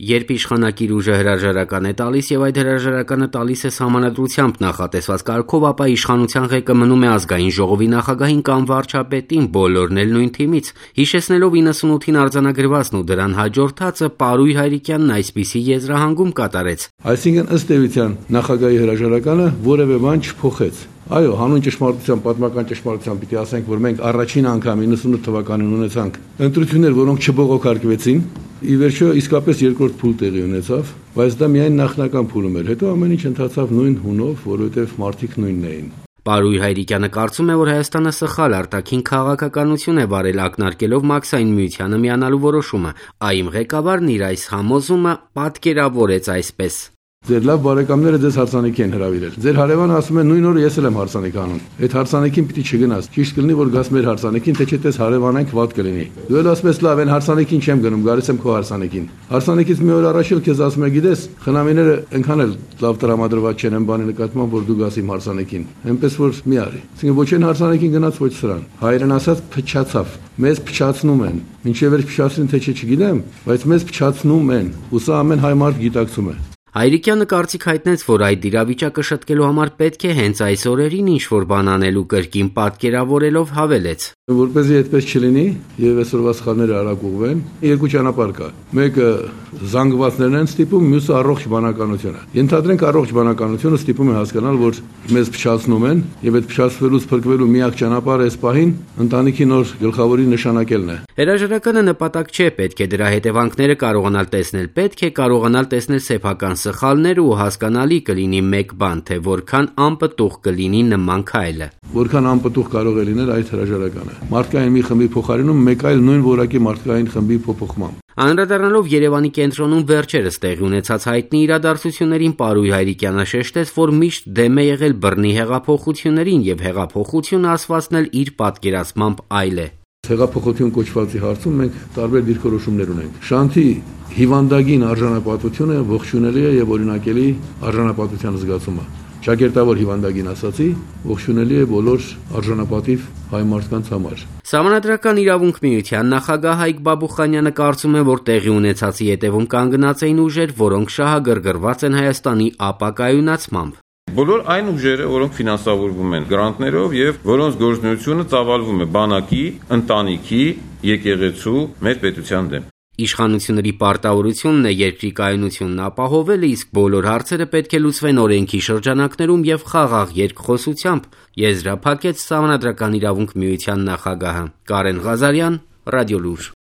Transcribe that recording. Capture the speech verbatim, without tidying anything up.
Երբ իշխանակիր ուժը հրաժարական է տալիս եւ այդ հրաժարականը տալիս է սահմանադրությամբ նախատեսված կարգով, ապա իշխանության ղեկը մնում է ազգային ժողովի նախագահին կամ վարչապետին, բոլորն էլ նույն թիմից։ Հիշեցնելով իննսունութին արձանագրվածն ու դրան հաջորդածը, Պարույր Հայրիկյանն այսպիսի եզրահանգում կատարեց. Այսինքն ըստ էության նախագահի հրաժարականը որևէ բան չփոխեց։ Այո, հանուն ճշմարտության, պատմական ճշմարտության պիտի ասենք, որ մենք առաջին անգամ իննսունութ թվականին ունեցանք ընտրություններ, որոնք չբողոքարկվեցին։ Ի վերջո իսկապես երկրորդ փուլ տեղի ունեցավ, բայց դա միայն նախնական փուլում էր։ Հետո ամեն ինչ ընթացավ նույն հունով, որովհետև մարդիկ նույնն էին։ Պարույր Հայրիկյանը կարծում է, որ Հայաստանը սխալ արտաքին քաղաքականություն է վարել, ակնարկելով Մաքսային միությանը միանալու որոշումը։ ԱԻՄ ղեկավարն իր այս համոզումը պատկերավորեց այսպես. Ձեր լավ բարեկամները ձեզ հարսանիքի են հրավիրել։ Ձեր հարևանը ասում է նույն օրը ես էլ եմ հարսանիք անում։ Այդ հարսանիքին պիտի չգնաս։ Ճիշտ կլինի, որ գաս մեր հարսանիքին, թե չէ դες հարևանենք վատ կլինի։ Դու էլ ասում ես լավ, այն հարսանիքին չեմ գնում, գալիս եմ քո հարսանիքին։ Հարսանիքից մի օր առաջ էլ քեզ ասում է, գիտես, խնամիները այնքան էլ լավ տրամադրված չեն այն բանի նկատմամբ, որ դու գաս իմ հարսանիքին։ Այնպես որ մի արի։ Այսինքն ոչ այն հարսանիքին գնաց, ոչ սրան։ Հայերեն ասած փչացավ։ Մեզ փչացնում են։ Մինչև էր փչացրին, թե չէ չգիտեմ, բայց մեզ փչացնում են։ Ու սա ամեն հայ մարդ գիտակցում է։ Հայրիկյանը կարծիք հայտնեց, որ այդ իրավիճակը շտկելու համար պետք է հենց այս օրերին ինչ-որ բան անելու կրկին պատկերավորելով հավելեց. Որպեսզի այդպես չլինի եւ այսօրվա սխալները արագ ուղղվեն, երկու ճանապարհ կա։ Մեկը զանգվածներն են ստիպում, մյուսը առողջ բանականությունը։ Ենթադրենք առողջ բանականությունը ստիպում է հասկանալ, որ մեզ փչացնում են եւ այդ փչացվելուց փրկվելու միակ ճանապարհը այս պահին ընտանիքի նոր գլխավորի նշանակելն է։ Հրաժարականը նպատակ չէ, պետք է դրա հետևանքները կարողանալ տեսնել, պետք է կարողանալ տեսնել սեփական սխալները ու հասկանալի կլինի մեկ բան, թե որքան անպտուղ կլինի նման քայլը։ Որքան անպտուղ կարող է լինել այդ հրաժարականը։ Մարդկային մի խմբի փոխարինում մեկ այլ նույն որակի մարդկային խմբի փոփոխմամբ։ Անդրադառնալով Երևանի կենտրոնում վերջերս տեղի ունեցած հայտնի իրադարձություններին, Պարույր Հայրիկյանը շեշտեց, որ միշտ դեմ է եղել բռնի հեղափոխություններին եւ հեղափոխությունը ասվածն էլ իր պատկերացմամբ այլ է։ Հեղափոխություն կոչվածի հարցում մենք տարբեր դիրքորոշումներ ունենք։ Շանթի հիվանդագին արժանապատվությունը ողջունելի է եւ օրինակելի արժանապատվության զգացումը։ Ճակերտավոր հիվանդագին ասացի, ողջունելի է բոլոր արժանապատիվ հայ մարդկանց համար։ Սահմանադրական իրավունք միության նախագահ Հայկ Բաբուխանյանը կարծում է, որ տեղի ունեցածի հետևում կանգնած էին ուժեր, որոնք շահագրգռված են Հայաստանի ապակայունացմամբ։ Բոլոր այն ուժերը, որոնք ֆինանսավորվում են գրանտներով եւ որոնց գործունեությունը ծավալվում է բանակի, ընտանիքի, եկեղեցու, մեր պետության դեմ։ Իշխանությունների պարտավորությունն է երկրի կայունությունն ապահովելը, իսկ բոլոր հարցերը պետք է լուծվեն օրենքի շրջանակներում եւ խաղաղ երկխոսությամբ, եզրափակեց Սահմանադրական իրավունք միության նախագահը։ Կարեն Ղազարյան, Ռադիոլուր։